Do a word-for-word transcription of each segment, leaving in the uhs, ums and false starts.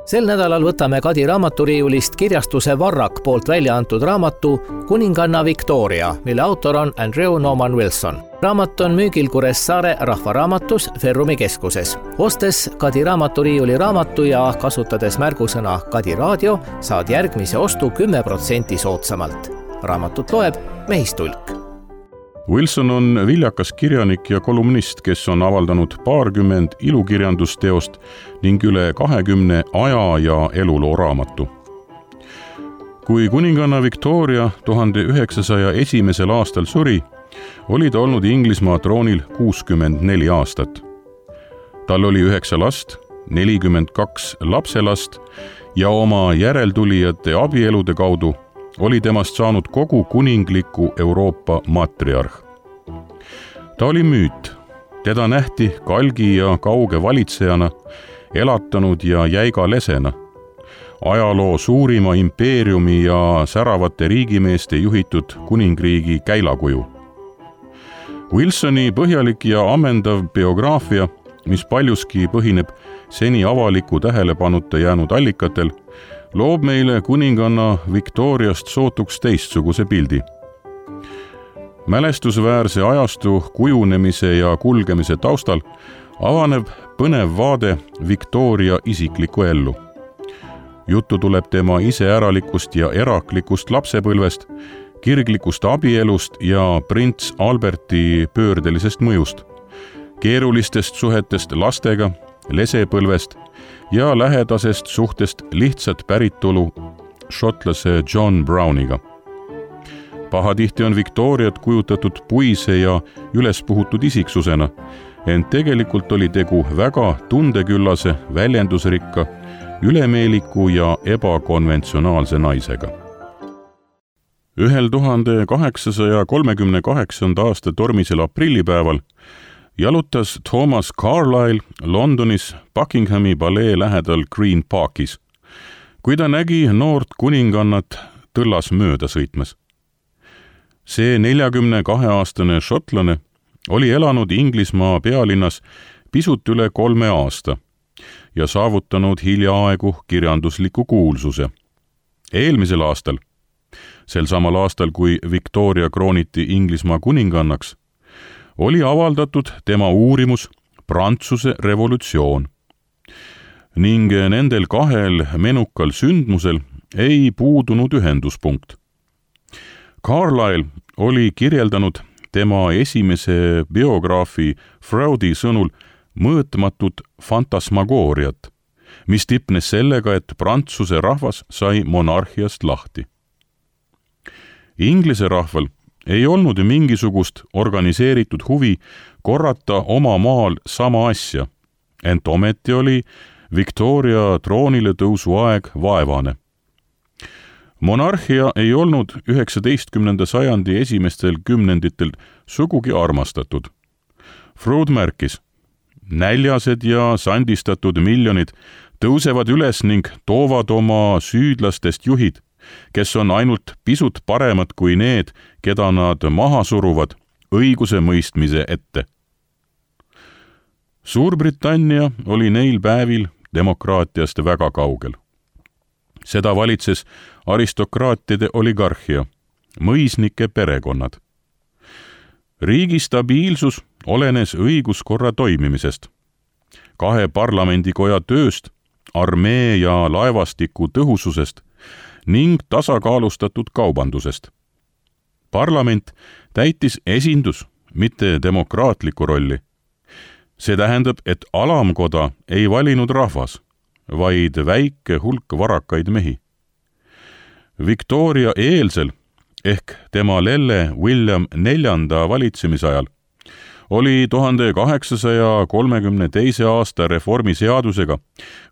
Sel nädalal võtame Kadi raamaturiiulist kirjastuse Varrak poolt välja antud raamatu Kuninganna Victoria, mille autor on Andrew Norman Wilson. Raamat on müügil Kuressaare rahvaraamatus Ferrumi keskuses. Ostes Kadi raamaturiiuli raamatu ja kasutades märgusõna Kadi raadio, saad järgmise ostu kümme protsenti soodsamalt. Raamatut loeb Mehistulk. Wilson on viljakas kirjanik ja kolumnist, kes on avaldanud paarkümmend ilukirjandusteost ning üle kahekümne aja- ja eluloo raamatu. Kui kuninganna Victoria tuhande üheksasaja esimesel aastal suri, oli ta olnud Inglismaa troonil kuuskümmend neli aastat. Tal oli üheksa last, nelikümmend kaks lapselast ja oma järeltulijate abielude kaudu oli temast saanud kogu kuningliku Euroopa matriarh. Ta oli müüt. Teda nähti kalgi ja kauge valitsejana, elatanud ja jäiga lesena, ajaloo suurima impeeriumi ja säravate riigimeeste juhitud kuningriigi käilakuju. Wilsoni põhjalik ja ammendav biograafia, mis paljuski põhineb seni avaliku tähelepanuta jäänud allikatel, loob meile kuninganna Victoriast sootuks teistsuguse pildi. Mälestusväärse ajastu kujunemise ja kulgemise taustal avaneb põnev vaade Victoria isiklikku ellu. Juttu tuleb tema iseäralikust ja eraklikust lapsepõlvest, kirglikust abielust ja prints Alberti pöördelisest mõjust, keerulistest suhetest lastega, lesepõlvest ja lähedasest suhtest lihtsat päritolu šotlase John Browniga. Pahatihti on Victoriat kujutatud puise ja ülespuhutud isiksusena, ent tegelikult oli tegu väga tundeküllase, väljendusrikka, ülemeeliku ja ebakonventsionaalse naisega. Ühel tuhande kaheksasaja kolmekümne kaheksanda aasta tormisel aprillipäeval jalutas Thomas Carlyle Londonis Buckinghami palee lähedal Green Parkis, kui ta nägi noort kuningannat tõllas mööda sõitmas. See neljakümne kahe aastane šotlane oli elanud Inglismaa pealinnas pisut üle kolme aasta ja saavutanud hiljaaegu kirjandusliku kuulsuse. Eelmisel aastal, sel samal aastal, kui Victoria krooniti Inglismaa kuningannaks, oli avaldatud tema uurimus Prantsuse revolutsioon. Ning nendel kahel menukal sündmusel ei puudunud ühenduspunkt. Carlyle oli kirjeldanud tema esimese biograafi Freudi sõnul mõõtmatut fantasmagooriat, mis tipnes sellega, et Prantsuse rahvas sai monarhiast lahti. Inglise rahval ei olnud mingisugust organiseeritud huvi korrata oma maal sama asja, ent ometi oli Victoria troonile tõusu aeg vaevane. Monarhia ei olnud üheksateistkümnenda sajandi esimestel kümnenditel sugugi armastatud. Freud märkis, näljased ja sandistatud miljonid tõusevad üles ning toovad oma süüdlastest juhid, kes on ainult pisut paremad kui need, keda nad maha suruvad õiguse mõistmise ette. Suurbritannia oli neil päevil demokraatiast väga kaugel. Seda valitses aristokraatide oligarhia, mõisnike perekonnad. Riigi stabiilsus olenes õiguskorra toimimisest, kahe parlamendikoja tööst, armee ja laevastiku tõhususest ning tasakaalustatud kaubandusest. Parlament täitis esindus, mitte demokraatlikku rolli. See tähendab, et alamkoda ei valinud rahvas, vaid väike hulk varakaid mehi. Victoria eelsel ehk tema lelle William neljanda valitsemisajal oli tuhande kaheksasaja kolmekümne teise aasta reformiseadusega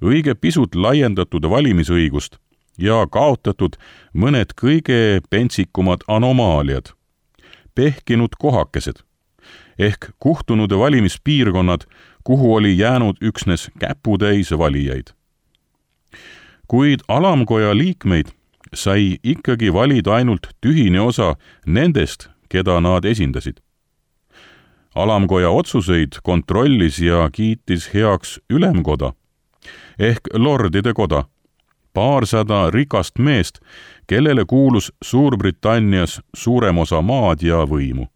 õige pisut laiendatud valimisõigust ja kaotatud mõned kõige pentsikumad anomaaliad, pehkinud kohakesed ehk kuhtunud valimispiirkonnad, kuhu oli jäänud üksnes käputäis valijaid. Kuid alamkoja liikmeid sai ikkagi valida ainult tühine osa nendest, keda nad esindasid. Alamkoja otsuseid kontrollis ja kiitis heaks ülemkoda, ehk lordide koda, paarsada rikast meest, kellele kuulus Suurbritannias suurem osa maad ja võimu.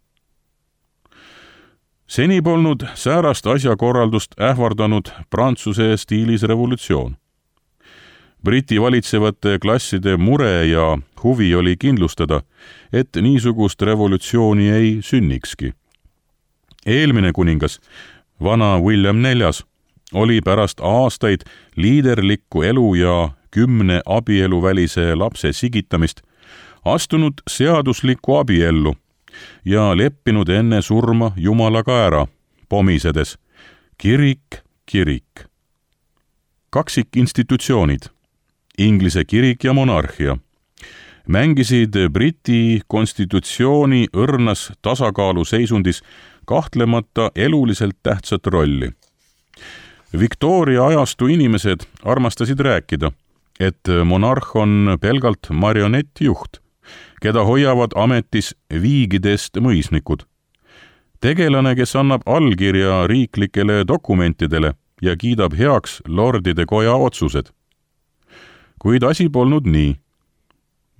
Seni polnud säärast asjakorraldust ähvardanud Prantsuse stiilis revolutsioon. Briti valitsevate klasside mure ja huvi oli kindlustada, et niisugust revolutsiooni ei sünnikski. Eelmine kuningas, vana William neljas, oli pärast aastaid liiderlikku elu ja kümne abieluvälise lapse sigitamist astunud seaduslikku abiellu ja leppinud enne surma Jumalaga ära, pomisedes kirik, kirik. Kaksikinstitutsioonid, Inglise kirik ja monarhia, mängisid Briti konstitutsiooni õrnas tasakaaluseisundis kahtlemata eluliselt tähtsat rolli. Victoria ajastu inimesed armastasid rääkida, et monarh on pelgalt marionettjuht, keda hoiavad ametis viigidest mõisnikud. Tegelane, kes annab allkirja riiklikele dokumentidele ja kiidab heaks lordide koja otsused. Kuid asi polnud nii.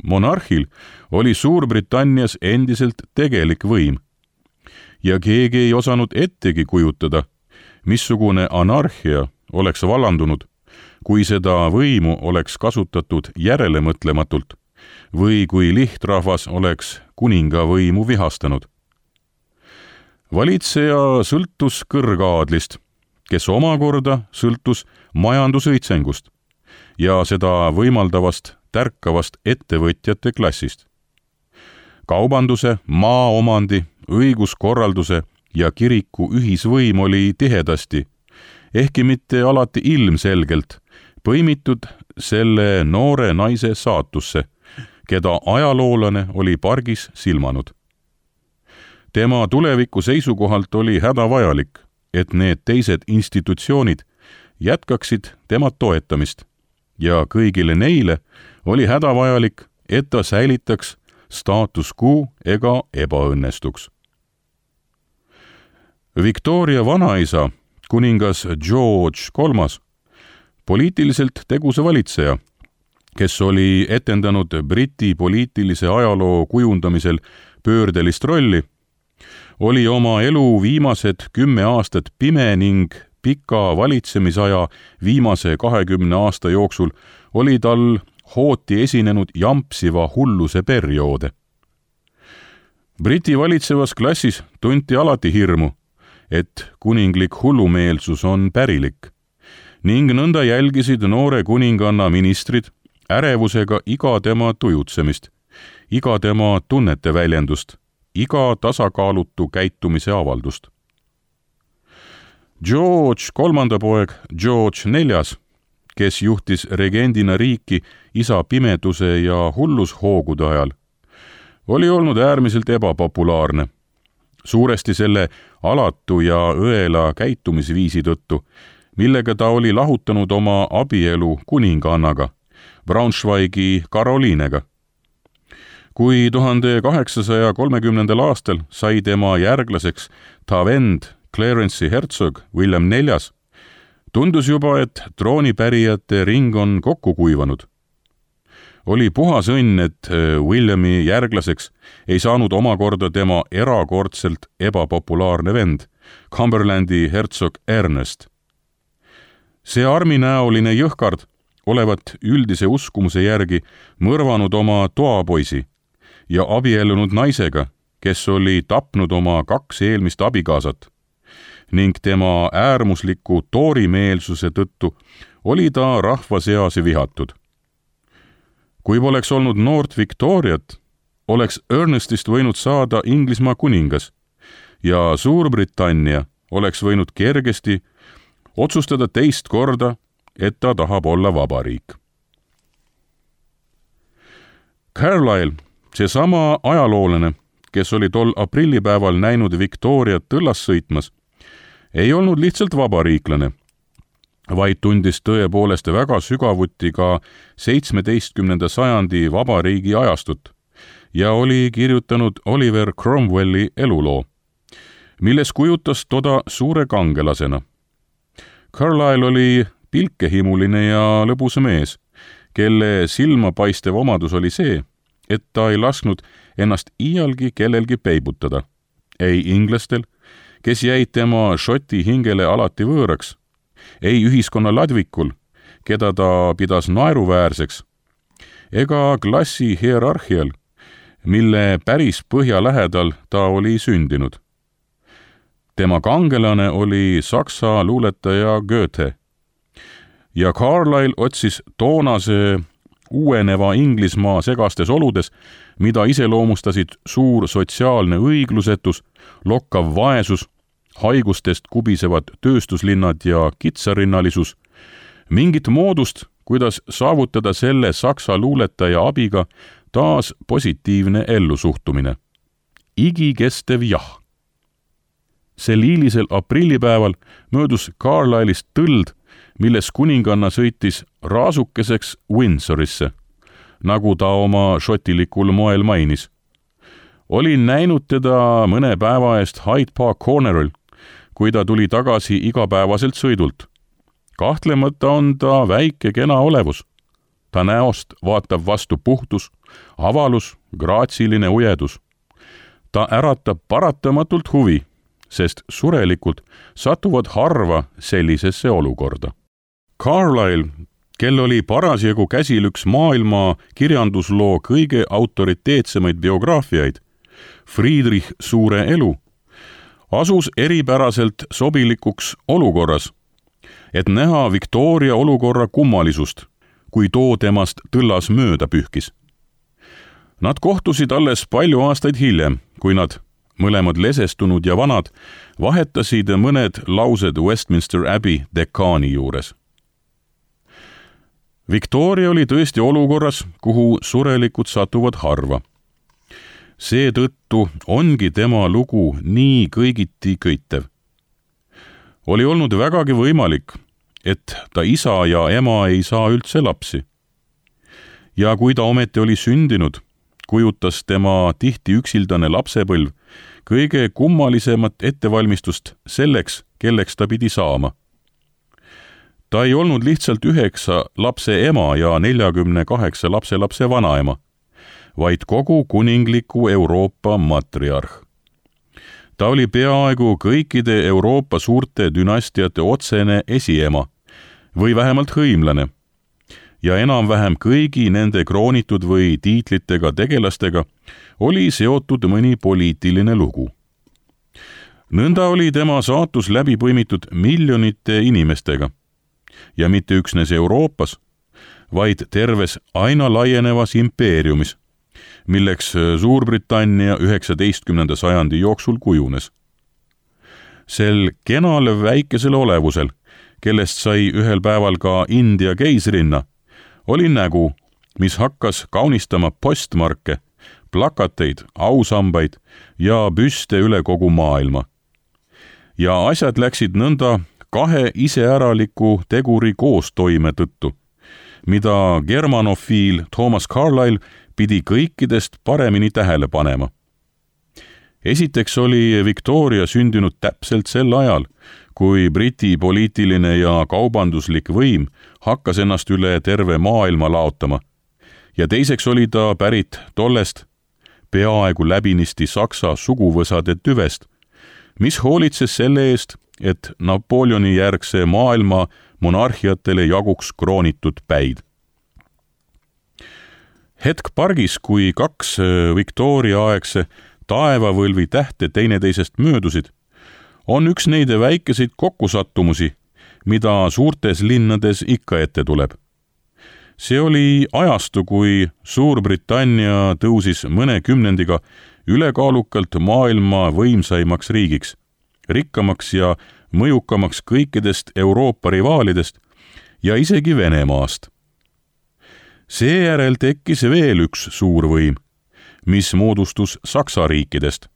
Monarhil oli Suurbritannias endiselt tegelik võim ja keegi ei osanud ettegi kujutada, missugune anarhia oleks vallandunud, kui seda võimu oleks kasutatud järelemõtlematult või kui lihtrahvas oleks kuninga võimu vihastanud. Valitseja sõltus kõrgaadlist, kes omakorda sõltus majandusõitsengust ja seda võimaldavast tärkavast ettevõtjate klassist. Kaubanduse, maaomandi, õiguskorralduse ja kiriku ühisvõim oli tihedasti, ehkki mitte alati ilmselgelt, põimitud selle noore naise saatusse, keda ajaloolane oli pargis silmanud. Tema tuleviku seisukohalt oli hädavajalik, et need teised institutsioonid jätkaksid tema toetamist ja kõigile neile oli hädavajalik, et ta säilitaks status quo ega ebaõnnestuks. Victoria vanaisa, kuningas George kolmas, poliitiliselt tegusa valitseja, kes oli etendanud Briti poliitilise ajaloo kujundamisel pöördelist rolli, oli oma elu viimased kümme aastat pime ning pika valitsemisaja viimase kahekümne aasta jooksul oli tal hooti esinenud jampsiva hulluse perioode. Briti valitsevas klassis tunti alati hirmu, et kuninglik hullumeelsus on pärilik, ning nõnda jälgisid noore kuninganna ministrid ärevusega iga tema tujutsemist, iga tema tunnete väljendust, iga tasakaalutu käitumise avaldust. George kolmanda poeg George neljas, kes juhtis regendina riiki isa pimeduse ja hullushoogude ajal, oli olnud äärmiselt ebapopulaarne, suuresti selle alatu ja õela käitumisviisi tõttu, millega ta oli lahutanud oma abielu kuningannaga, Braunschweigi Karoliinega. Kui tuhande kaheksasaja kolmekümnendal aastal sai tema järglaseks ta vend Clarence'i hertsog William neljas, tundus juba, et troonipärijate ring on kokku kuivanud. Oli puhas õnn, et Williami järglaseks ei saanud omakorda tema erakordselt ebapopulaarne vend, Cumberlandi hertsog Ernest. See arminäoline jõhkard olevat üldise uskumuse järgi mõrvanud oma toapoisi ja abiellunud naisega, kes oli tapnud oma kaks eelmist abikaasat, ning tema äärmusliku toorimeelsuse tõttu oli ta rahva seas vihatud. Kui poleks olnud noort Victoriat, oleks Ernestist võinud saada Inglismaa kuningas ja Suurbritannia oleks võinud kergesti otsustada teist korda, et ta tahab olla vabariik. Carlyle, seesama ajaloolane, kes oli tol aprillipäeval näinud Victoriat tõllas sõitmas, ei olnud lihtsalt vabariiklane, vaid tundis tõepoolest väga sügavuti ka seitsmeteistkümnenda sajandi vabariigi ajastut ja oli kirjutanud Oliver Cromwelli eluloo, milles kujutas toda suure kangelasena. Carlyle oli pilkehimuline ja lõbus mees, kelle silmapaistev omadus oli see, et ta ei lasknud ennast iialgi kellelgi peibutada. Ei inglastel, kes jäid tema šoti hingele alati võõraks, ei ühiskonna ladvikul, keda ta pidas naeruväärseks, ega klassi hierarhial, mille päris põhja lähedal ta oli sündinud. Tema kangelane oli saksa luuletaja Goethe ja Carlyle otsis toonase uueneva Inglismaa segastes oludes, mida iseloomustasid suur sotsiaalne õiglusetus, lokkav vaesus, haigustest kubisevad tööstuslinnad ja kitsarinnalisus, mingit moodust, kuidas saavutada selle saksa luuletaja abiga taas positiivne ellusuhtumine. Igikestev jah. Sel hiilisel aprillipäeval möödus Carlyle'ist tõld, milles kuninganna sõitis raasukeseks Windsorisse, nagu ta oma šotilikul moel mainis. Olin näinud teda mõne päeva eest Hyde Park Corneril, kui ta tuli tagasi igapäevaselt sõidult. Kahtlemata on ta väike kena olevus. Ta näost vaatab vastu puhtus, avalus, graatsiline ujedus. Ta äratab paratamatult huvi, sest surelikult satuvad harva sellisesse olukorda. Carlyle, kel oli parasjagu käsil üks maailma kirjandusloo kõige autoriteetsemaid biograafiaid, Friedrich Suure elu, asus eripäraselt sobilikuks olukorras, et näha Victoria olukorra kummalisust, kui too temast tõllas mööda pühkis. Nad kohtusid alles palju aastaid hiljem, kui nad, mõlemad lesestunud ja vanad, vahetasid mõned laused Westminster Abbey dekaani juures. Victoria oli tõesti olukorras, kuhu surelikud satuvad harva. Seetõttu ongi tema lugu nii kõigiti köitev. Oli olnud vägagi võimalik, et ta isa ja ema ei saa üldse lapsi. Ja kui ta ometi oli sündinud, kujutas tema tihti üksildane lapsepõlv kõige kummalisemat ettevalmistust selleks, kelleks ta pidi saama. Ta ei olnud lihtsalt üheksa lapse ema ja neljakümne kaheksa lapse lapse vanaema, vaid kogu kuningliku Euroopa matriarh. Ta oli peaaegu kõikide Euroopa suurte dünastiate otsene esiema või vähemalt hõimlane ja enam-vähem kõigi nende kroonitud või tiitlitega tegelastega oli seotud mõni poliitiline lugu. Nõnda oli tema saatus läbi põimitud miljonite inimestega ja mitte üksnes Euroopas, vaid terves aina laienevas impeeriumis, milleks Suurbritannia üheksateistkümnenda sajandi jooksul kujunes. Sel kenal väikesel olevusel, kellest sai ühel päeval ka India keisrinna, oli nägu, mis hakkas kaunistama postmarke, plakateid, ausambaid ja büste üle kogu maailma. Ja asjad läksid nõnda kahe iseäraliku teguri koostoime tõttu, mida germanofiil Thomas Carlyle pidi kõikidest paremini tähele panema. Esiteks oli Victoria sündinud täpselt sel ajal, kui Briti poliitiline ja kaubanduslik võim hakkas ennast üle terve maailma laotama. Ja teiseks oli ta pärit tollest peaaegu läbinisti saksa suguvõsade tüvest, mis hoolitses selle eest, et Napoleoni järgse maailma monarhiatele jaguks kroonitud päid. Hetk pargis, kui kaks Victoria-aegse taevavõlvi tähte teineteisest möödusid, on üks neide väikeseid kokkusattumusi, mida suurtes linnades ikka ette tuleb. See oli ajastu, kui Suurbritannia tõusis mõne kümnendiga ülekaalukalt maailma võimsaimaks riigiks, rikkamaks ja mõjukamaks kõikidest Euroopa rivaalidest ja isegi Venemaast. Seejärel tekkis veel üks suur võim, mis moodustus Saksa riikidest,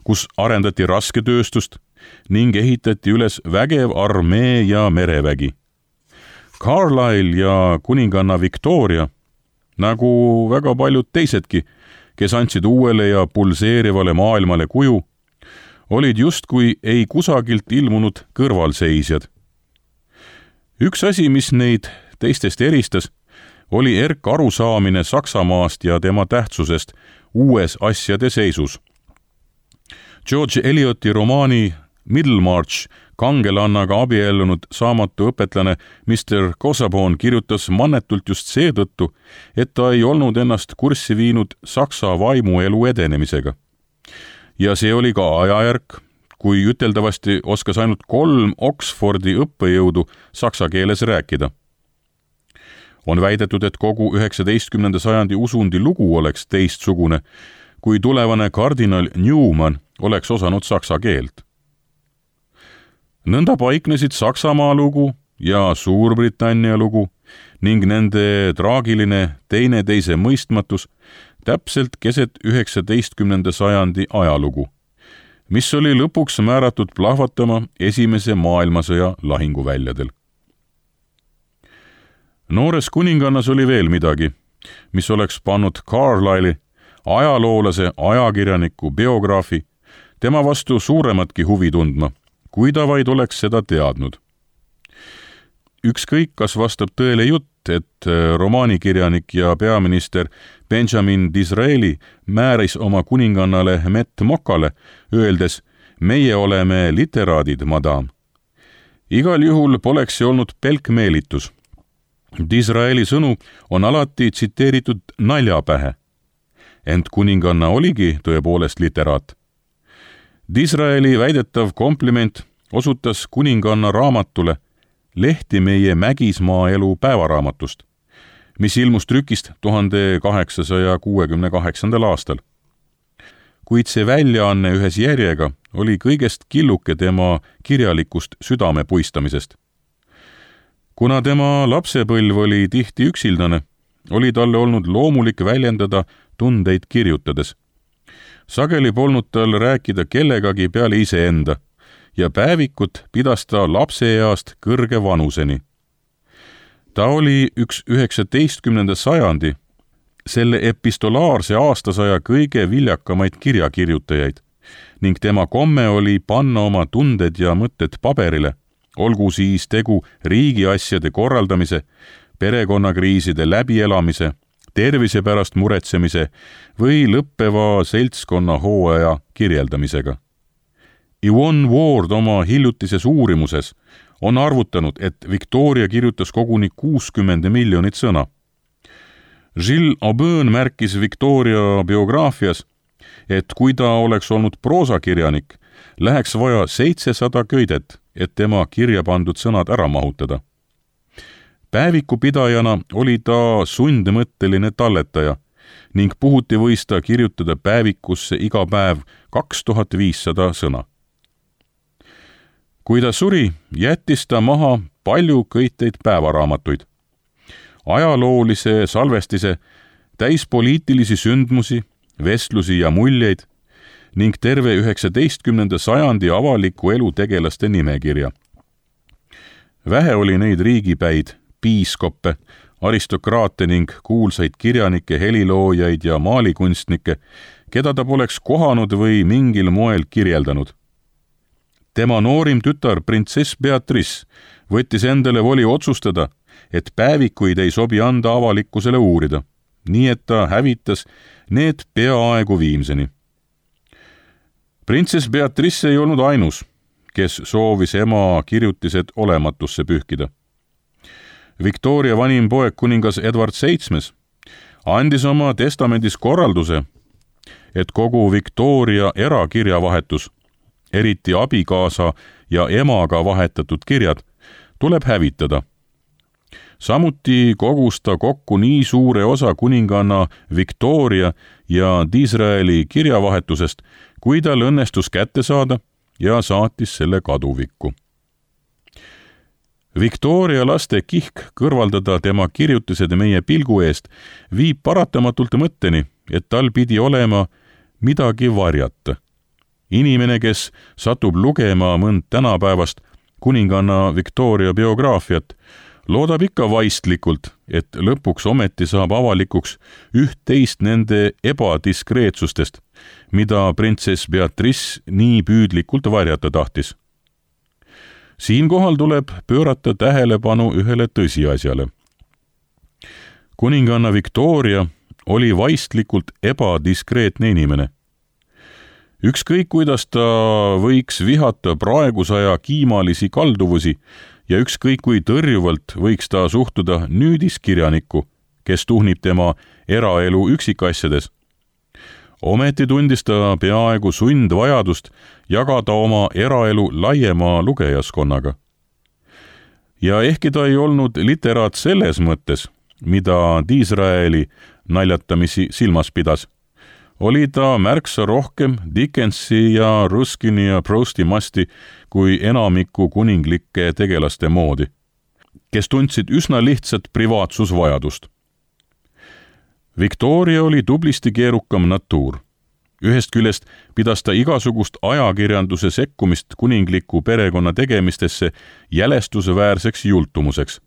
kus arendati rasketööstust ning ehitati üles vägev armee ja merevägi. Carlyle ja kuninganna Victoria, nagu väga paljud teisedki, kes andsid uuele ja pulseerivale maailmale kuju, olid justkui ei kusagilt ilmunud kõrvalseisjad. üks asi, mis neid teistest eristas, oli erk arusaamine Saksamaast ja tema tähtsusest uues asjade seisus. George Elioti romaani Middlemarch kangelannaga abiellunud saamatu õpetlane mister Kosabon kirjutas mannetult just seetõttu, et ta ei olnud ennast kurssi viinud Saksa vaimuelu edenemisega. Ja see oli ka ajajärk, kui üteldavasti oskas ainult kolm Oxfordi õppejõudu saksa keeles rääkida. On väidetud, et kogu üheksateistkümnenda sajandi usundi lugu oleks teistsugune, kui tulevane kardinal Newman oleks osanud saksa keelt. Nõnda paiknesid Saksamaa lugu ja Suurbritannia lugu ning nende traagiline teineteise mõistmatus täpselt keset üheksateistkümnenda sajandi ajalugu, mis oli lõpuks määratud plahvatama esimese maailmasõja lahinguväljadel. Noores kuningannas oli veel midagi, mis oleks pannud Carlyle'i, ajaloolase, ajakirjaniku, biograafi, tema vastu suurematki huvi tundma, kui ta vaid oleks seda teadnud. Ükskõik, kas vastab tõele jutt, et romaanikirjanik ja peaminister Benjamin Disraeli määris oma kuningannale Mett Mokale, öeldes, meie oleme literaadid, madam. Igal juhul poleks see olnud pelkmeelitus. Disraeli sõnu on alati tsiteeritud naljapähe, ent kuninganna oligi tõepoolest literaat. Disraeli väidetav kompliment osutas kuninganna raamatule Lehti meie mägismaa elu päevaraamatust, mis ilmus trükist tuhande kaheksasaja kuuekümne kaheksandal aastal. Kuid see väljaanne ühes järjega oli kõigest killuke tema kirjalikust südame puistamisest. Kuna tema lapsepõlv oli tihti üksildane, oli talle olnud loomulik väljendada tundeid kirjutades. Sageli polnud tal rääkida kellegagi peale iseenda ja päevikut pidas ta lapseeast kõrge vanuseni. Ta oli üks üheksateistkümnenda sajandi, selle epistolaarse aastasaja kõige viljakamaid kirjakirjutajaid ning tema komme oli panna oma tunded ja mõtted paberile, olgu siis tegu riigiasjade korraldamise, perekonnakriiside läbielamise, tervise pärast muretsemise või lõppeva seltskonna hooaja kirjeldamisega. Yvonne Ward oma hiljutises uurimuses on arvutanud, et Victoria kirjutas koguni kuuskümmend miljonit sõna. Gilles Aubin märkis Victoria biograafias, et kui ta oleks olnud proosakirjanik, läheks vaja seitsesada köidet, et tema kirja pandud sõnad ära mahutada. Päevikupidajana oli ta sundmõtteline talletaja ning puhuti võis ta kirjutada päevikusse iga päev kaks tuhat viissada sõna. Kui ta suri, jättis ta maha palju köiteid päevaraamatuid. Ajaloolise salvestise, täis poliitilisi sündmusi, vestlusi ja muljeid ning terve üheksateistkümnenda sajandi avaliku elu tegelaste nimekirja. Vähe oli neid riigipäid, piiskoppe, aristokraate ning kuulsaid kirjanikke, heliloojaid ja maalikunstnikke, keda ta poleks kohanud või mingil moel kirjeldanud. Tema noorim tütar, printsess Beatrice, võttis endale voli otsustada, et päevikuid ei sobi anda avalikkusele uurida, nii et ta hävitas need peaaegu viimseni. Printsess Beatrice ei olnud ainus, kes soovis ema kirjutised olematusse pühkida. Victoria vanim poeg kuningas Edward seitsmes andis oma testamendis korralduse, et kogu Victoria erakirjavahetus, eriti abikaasa ja emaga vahetatud kirjad, tuleb hävitada. Samuti kogus ta kokku nii suure osa kuninganna Victoria ja Disraeli kirjavahetusest, kui tal õnnestus kätte saada ja saatis selle kaduvikku. Victoria laste kihk kõrvaldada tema kirjutised meie pilgu eest viib paratamatult mõtteni, et tal pidi olema midagi varjata. Inimene, kes satub lugema mõnd tänapäevast kuninganna Victoria biograafiat, loodab ikka vaistlikult, et lõpuks ometi saab avalikuks üht-teist nende ebadiskreetsustest, mida printsess Beatrice nii püüdlikult varjata tahtis. Siinkohal tuleb pöörata tähelepanu ühele tõsiasjale. Kuninganna Victoria oli vaistlikult ebadiskreetne inimene. Ükskõik, kuidas ta võiks vihata praegusaja kiimalisi kalduvusi ja ükskõik kui tõrjuvalt võiks ta suhtuda nüüdiskirjanikku, kes tuhnib tema eraelu üksikasjades. Ometi tundis ta peaaegu sundvajadust jagada oma eraelu laiema lugejaskonnaga. Ja ehkki ta ei olnud literaat selles mõttes, mida Disraeli naljatamisi silmas pidas, oli ta märksa rohkem Dickensi ja Ruskini ja Prousti masti kui enamiku kuninglike tegelaste moodi, kes tundsid üsna lihtsat privaatsusvajadust. Victoria oli tublisti keerukam natuur. Ühest küljest pidas ta igasugust ajakirjanduse sekkumist kuningliku perekonna tegemistesse jälestusväärseks jultumuseks.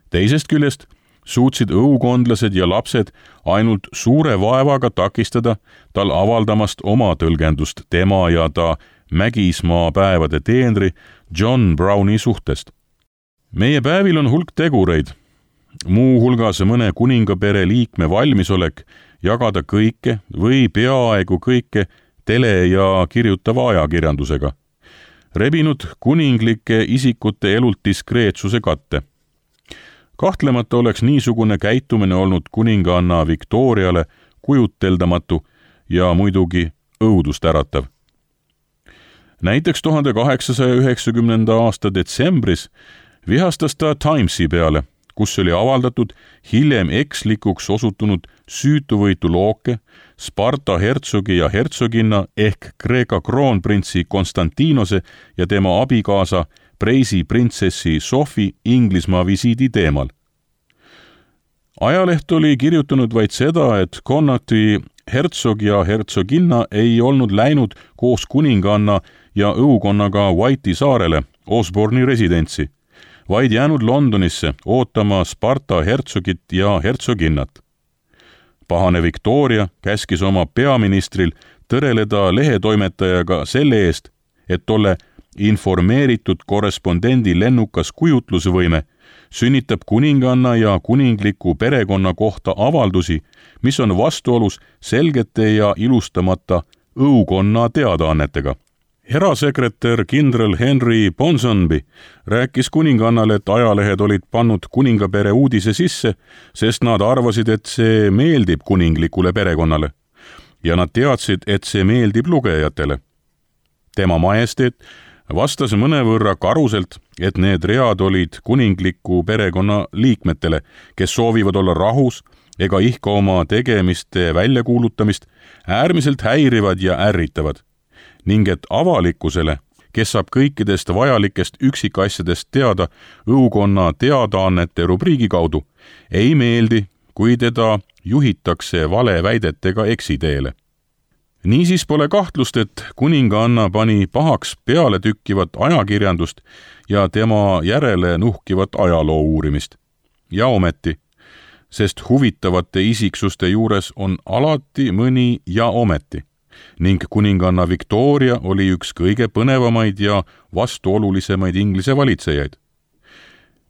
Teisest küljest suutsid õukondlased ja lapsed ainult suure vaevaga takistada tal avaldamast oma tõlgendust tema ja ta Mägismaa päevade teenri John Browni suhtest. Meie päevil on hulk tegureid, muu hulgas mõne kuningapere liikme valmisolek jagada kõike või peaaegu kõike tele- ja kirjutava ajakirjandusega, rebinud kuninglike isikute elult diskreetsuse katte. Kahtlemata oleks niisugune käitumine olnud kuninganna Victoriale kujuteldamatu ja muidugi õudust äratav. Näiteks tuhande kaheksasaja üheksakümnenda aasta detsembris vihastas ta Timesi peale, kus oli avaldatud hiljem ekslikuks osutunud süütuvõitu looke Sparta hertsogi ja hertsoginna ehk Kreeka kroonprintsi Konstantinose ja tema abikaasa Preisi printsessi Sofi Inglismaa visiidi teemal. Ajaleht oli kirjutanud vaid seda, et Connaughti hertsog ja hertsoginna ei olnud läinud koos kuninganna ja õukonnaga White'i saarele, Osborne'i residentsi, vaid jäänud Londonisse ootama Sparta hertsogit ja hertsoginnat. Pahane Victoria käskis oma peaministril tõreleda lehetoimetajaga selle eest, et tolle informeeritud korrespondendi lennukas kujutlusvõime sünnitab kuninganna ja kuningliku perekonna kohta avaldusi, mis on vastuolus selgete ja ilustamata õukonna teadaannetega. Erasekretär kindral Henry Ponsonby rääkis kuningannale, et ajalehed olid pannud kuningapere uudise sisse, sest nad arvasid, et see meeldib kuninglikule perekonnale ja nad teadsid, et see meeldib lugejatele. Tema majesteet vastas mõnevõrra karuselt, et need read olid kuningliku perekonna liikmetele, kes soovivad olla rahus ega ihka oma tegemiste väljakuulutamist, äärmiselt häirivad ja ärritavad, ning et avalikkusele, kes saab kõikidest vajalikest üksikasjadest teada õukonna teadaannete rubriigi kaudu, ei meeldi, kui teda juhitakse valeväidetega eksiteele. Niisiis pole kahtlust, et kuninganna pani pahaks peale tükkivat ajakirjandust ja tema järele nuhkivat ajaloo uurimist. Ja ometi, sest huvitavate isiksuste juures on alati mõni ja ometi, ning kuninganna Victoria oli üks kõige põnevamaid ja vastuolulisemaid Inglise valitsejaid.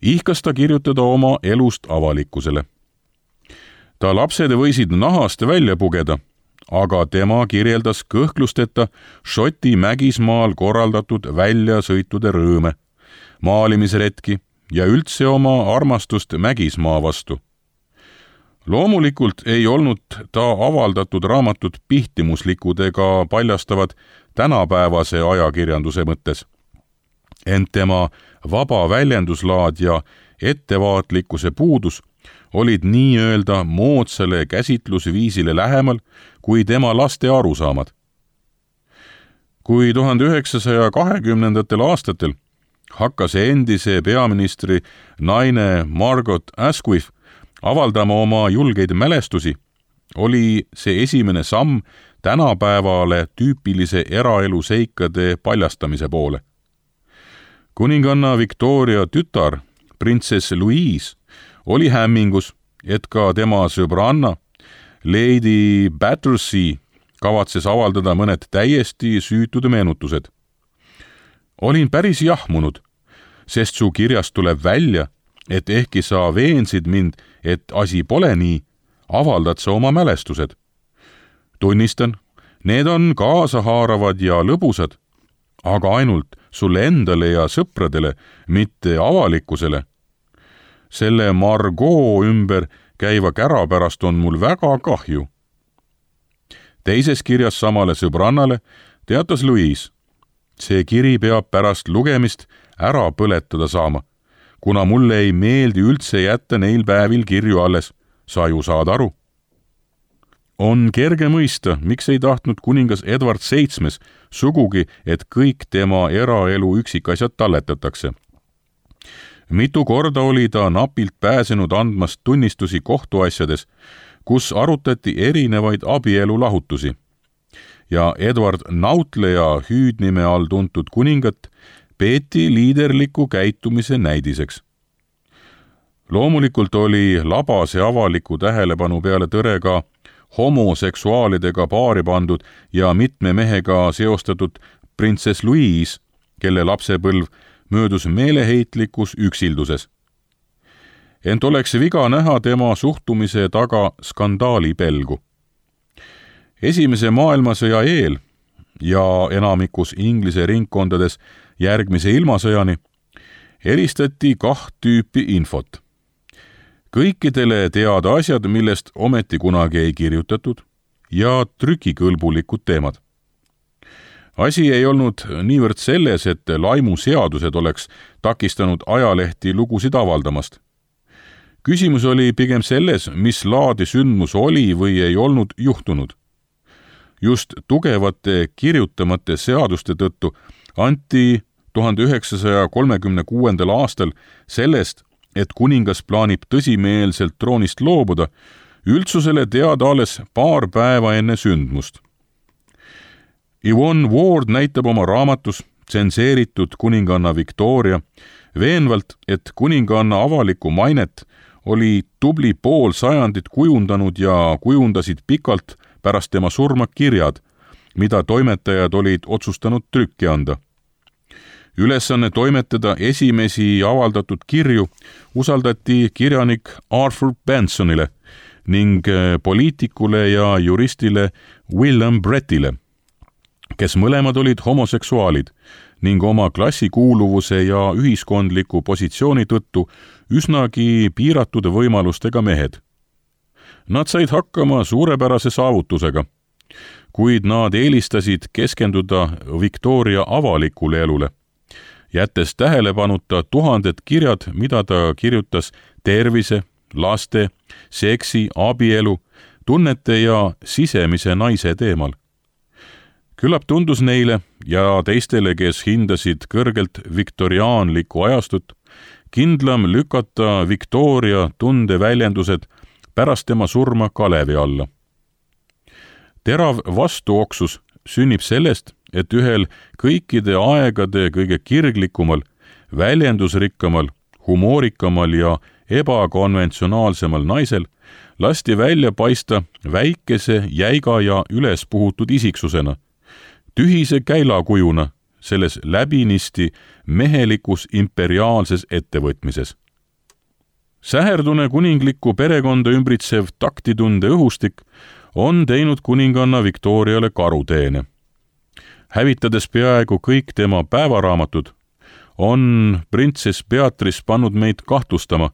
Ihkas ta kirjutada oma elust avalikkusele. Ta lapsed võisid nahast välja pugeda, aga tema kirjeldas kõhklusteta Šoti Mägismaal korraldatud väljasõitude rõõme, maalimisretki ja üldse oma armastust Mägismaa vastu. Loomulikult ei olnud ta avaldatud raamatud pihtimuslikud ega paljastavad tänapäevase ajakirjanduse mõttes. Ent tema vaba väljenduslaad ja ettevaatlikkuse puudus olid nii-öelda moodsale käsitlusviisile lähemal kui tema laste arusaamad. Kui tuhande üheksasaja kahekümnendatel aastatel hakkas endise peaministri naine Margaret Asquith avaldama oma julgeid mälestusi, oli see esimene samm tänapäevale tüüpilise eraelu seikade paljastamise poole. Kuninganna Victoria tütar, printsess Louise, oli hämmingus, et ka tema sõbranna, Lady Battersea, kavatses avaldada mõned täiesti süütud meenutused. Olin päris jahmunud, sest su kirjast tuleb välja, et ehkki sa veensid mind, et asi pole nii, avaldad sa oma mälestused. Tunnistan, need on kaasahaaravad ja lõbusad, aga ainult sulle endale ja sõpradele, mitte avalikkusele. Selle Margot ümber käiva kära pärast on mul väga kahju. Teises kirjas samale sõbrannale teatas Louise. See kiri peab pärast lugemist ära põletada saama, kuna mulle ei meeldi üldse jätta neil päevil kirju alles, sa ju saad aru. On kerge mõista, miks ei tahtnud kuningas Edward seitsmes sugugi, et kõik tema eraelu üksikasjad talletatakse. Mitu korda oli ta napilt pääsenud andmast tunnistusi kohtuasjades, kus arutati erinevaid abielulahutusi. Ja Edward Nautleja hüüdnime all tuntud kuningat peeti liiderliku käitumise näidiseks. Loomulikult oli labase avaliku tähelepanu peale tõre ka homoseksuaalidega paari pandud ja mitme mehega seostatud printsess Louise, kelle lapsepõlv möödus meeleheitlikus üksilduses. Ent oleks viga näha tema suhtumise taga skandaali pelgu. Esimese maailmasõja eel ja enamikus Inglise ringkondades järgmise ilmasõjani eristati kaht tüüpi infot. Kõikidele teada asjad, millest ometi kunagi ei kirjutatud, ja trükikõlbulikud teemad. Asi ei olnud niivõrd selles, et laimuseadused oleks takistanud ajalehti lugusid avaldamast. Küsimus oli pigem selles, mis laadi sündmus oli või ei olnud juhtunud. Just tugevate kirjutamata seaduste tõttu anti tuhande üheksasaja kolmekümne kuuendal aastal sellest, et kuningas plaanib tõsimeelselt troonist loobuda, üldsusele teada alles paar päeva enne sündmust. Yvonne Ward näitab oma raamatus tsenseeritud kuninganna Victoria veenvalt, et kuninganna avalikku mainet oli tubli pool sajandit kujundanud ja kujundasid pikalt pärast tema surma kirjad, mida toimetajad olid otsustanud trükki anda. Ülesanne toimetada esimesi avaldatud kirju usaldati kirjanik Arthur Bensonile ning poliitikule ja juristile William Brettile, kes mõlemad olid homoseksuaalid ning oma klassikuuluvuse ja ühiskondliku positsiooni tõttu üsnagi piiratud võimalustega mehed. Nad said hakkama suurepärase saavutusega, kuid nad eelistasid keskenduda Victoria avalikule elule, jättes tähelepanuta tuhanded kirjad, mida ta kirjutas tervise, laste, seksi, abielu, tunnete ja sisemise naise teemal. Küllap tundus neile ja teistele, kes hindasid kõrgelt viktoriaanlikku ajastut, kindlam lükata Victoria tundeväljendused pärast tema surma kalevi alla. Terav vastuoksus sünnib sellest, et ühel kõikide aegade kõige kirglikumal, väljendusrikkamal, humoorikamal ja ebakonventsionaalsemal naisel lasti välja paista väikese, jäiga ja ülespuhutud isiksusena, tühise käilakujuna selles läbinisti mehelikus imperiaalses ettevõtmises. Säherdune kuninglikku perekonda ümbritsev taktitunde õhustik on teinud kuninganna Victoriale karuteene. Hävitades peaaegu kõik tema päevaraamatud, on printsess Beatrice pannud meid kahtlustama,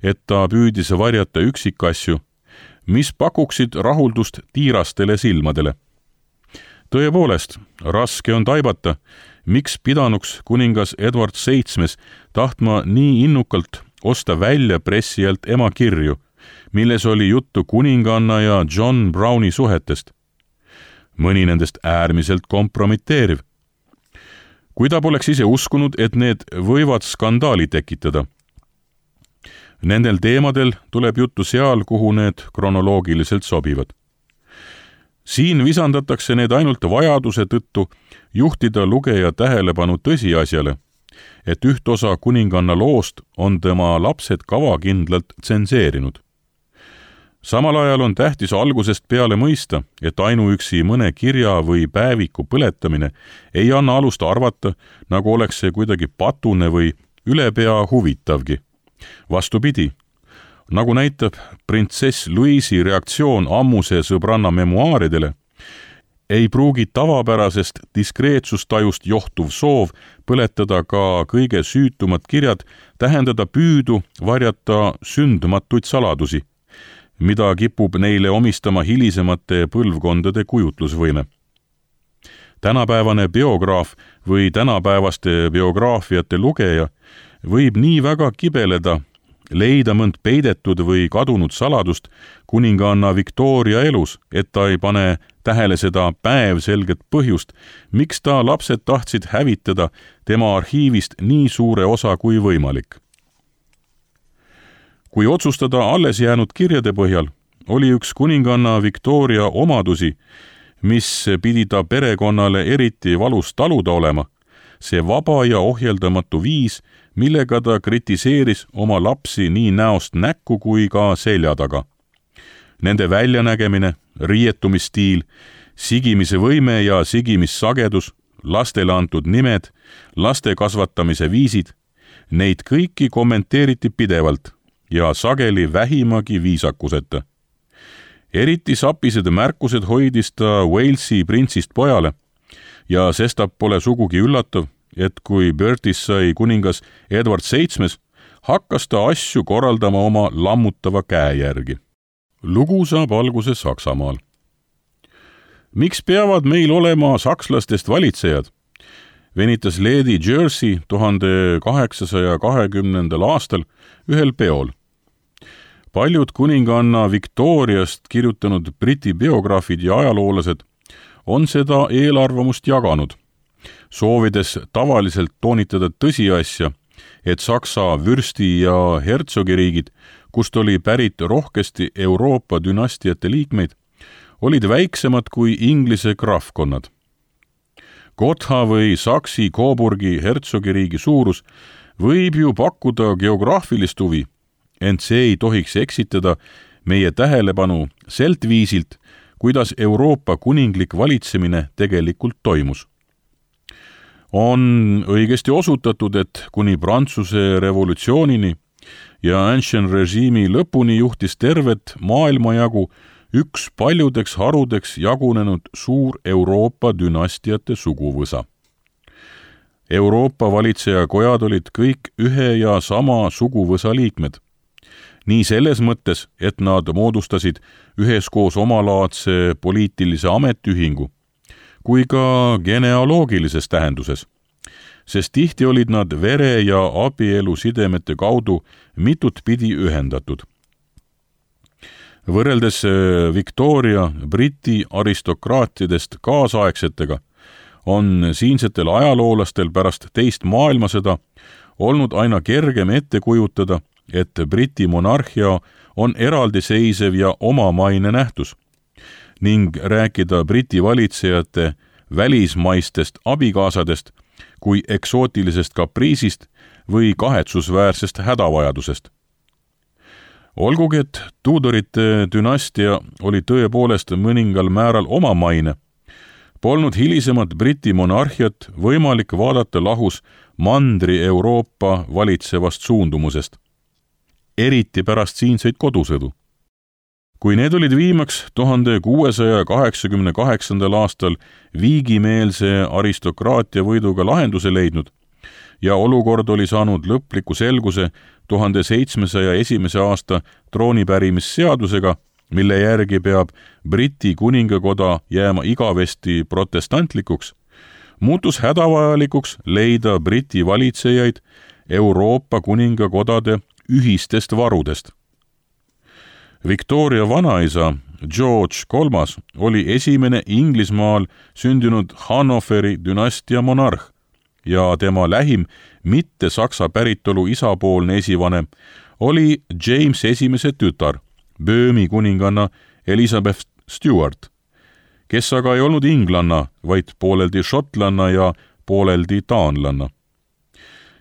et ta püüdis varjata üksikasju, mis pakuksid rahuldust tiirastele silmadele. Tõepoolest, raske on taibata, miks pidanuks kuningas Edward seitsmes tahtma nii innukalt osta välja pressijalt ema kirju, milles oli juttu kuninganna ja John Browni suhetest. Mõni nendest äärmiselt kompromiteeriv. Kui ta poleks ise uskunud, et need võivad skandaali tekitada. Nendel teemadel tuleb juttu seal, kuhu need kronoloogiliselt sobivad. Siin visandatakse need ainult vajaduse tõttu juhtida lugeja tähelepanu tõsiasjale, et üht osa kuninganna loost on tema lapsed kavakindlalt tsenseerinud. Samal ajal on tähtis algusest peale mõista, et ainuüksi mõne kirja või päeviku põletamine ei anna alust arvata, nagu oleks see kuidagi patune või ülepea huvitavgi. Vastupidi, nagu näitab printsess Louise'i reaktsioon ammuse sõbranna memuaaridele, ei pruugi tavapärasest diskreetsustajust johtuv soov põletada ka kõige süütumad kirjad tähendada püüdu varjata sündmatuid saladusi, mida kipub neile omistama hilisemate põlvkondade kujutlusvõime. Tänapäevane biograaf või tänapäevaste biograafiate lugeja võib nii väga kibeleda, leida mõnd peidetud või kadunud saladust kuninganna Victoria elus, et ta ei pane tähele seda päevselget põhjust, miks ta lapsed tahtsid hävitada tema arhiivist nii suure osa kui võimalik. Kui otsustada alles jäänud kirjade põhjal, oli üks kuninganna Victoria omadusi, mis pidi ta perekonnale eriti valus taluda olema, see vaba ja ohjeldamatu viis, millega ta kritiseeris oma lapsi nii näost näkku kui ka selja taga. Nende väljanägemine, riietumisstiil, sigimise võime ja sigimissagedus, lastele antud nimed, laste kasvatamise viisid, neid kõiki kommenteeriti pidevalt ja sageli vähimagi viisakuseta. Eriti sapised märkused hoidis ta Walesi printsist pojale ja sestap pole sugugi üllatav, et kui Bertis sai kuningas Edward seitsmes, hakkas ta asju korraldama oma lammutava käe järgi. Lugu saab alguse Saksamaal. Miks peavad meil olema sakslastest valitsejad? Venitas Lady Jersey tuhande kaheksasaja kahekümnendal aastal ühel peol. Paljud kuninganna Victoriast kirjutanud briti biograafid ja ajaloolased on seda eelarvamust jaganud, soovides tavaliselt toonitada tõsiasja, et Saksa vürsti- ja hertsogiriigid, kust oli pärit rohkesti Euroopa dünastiate liikmeid, olid väiksemad kui Inglise krahvkonnad. Gotha või Saksi Coburgi hertsogiriigi suurus võib ju pakkuda geograafilist huvi, ent see ei tohiks eksitada meie tähelepanu selt viisilt, kuidas Euroopa kuninglik valitsemine tegelikult toimus. On õigesti osutatud, et kuni Prantsuse revolutsioonini ja Ancien režiimi lõpuni juhtis tervet maailmajagu üks paljudeks harudeks jagunenud suur Euroopa dünastiate suguvõsa. Euroopa valitsejakojad olid kõik ühe ja sama suguvõsa liikmed. Nii selles mõttes, et nad moodustasid üheskoos omalaadse poliitilise ametiühingu, kui ka genealoogilises tähenduses, sest tihti olid nad vere- ja abielusidemete kaudu mitut pidi ühendatud. Võrreldes Victoria briti aristokraatidest kaasaegsetega on siinsetel ajaloolastel pärast teist maailmasõda olnud aina kergem ette kujutada, et briti monarhia on eraldiseisev ja omamaine nähtus ning rääkida briti valitsejate välismaistest abikaasadest kui eksootilisest kapriisist või kahetsusväärsest hädavajadusest. Olgugi, et Tudorite dünastia oli tõepoolest mõningal määral omamaine, polnud hilisemat briti monarhiat võimalik vaadata lahus Mandri-Euroopa valitsevast suundumusest, eriti pärast siinseid kodusõdu. Kui need olid viimaks tuhande kuuesaja kaheksakümne kaheksandal aastal viigimeelse aristokraatia võiduga lahenduse leidnud ja olukord oli saanud lõpliku selguse tuhande seitsmesaja esimese aasta troonipärimisseadusega, mille järgi peab Briti kuningakoda jääma igavesti protestantlikuks, muutus hädavajalikuks leida Briti valitsejaid Euroopa kuningakodade ühistest varudest. Victoria vanaisa George kolmas oli esimene Inglismaal sündinud Hannoveri dünastia monarh ja tema lähim mitte saksa päritolu isapoolne esivanem oli James esimese tütar, Böömi kuninganna Elizabeth Stuart, kes aga ei olnud inglanna, vaid pooleldi šotlanna ja pooleldi taanlanna.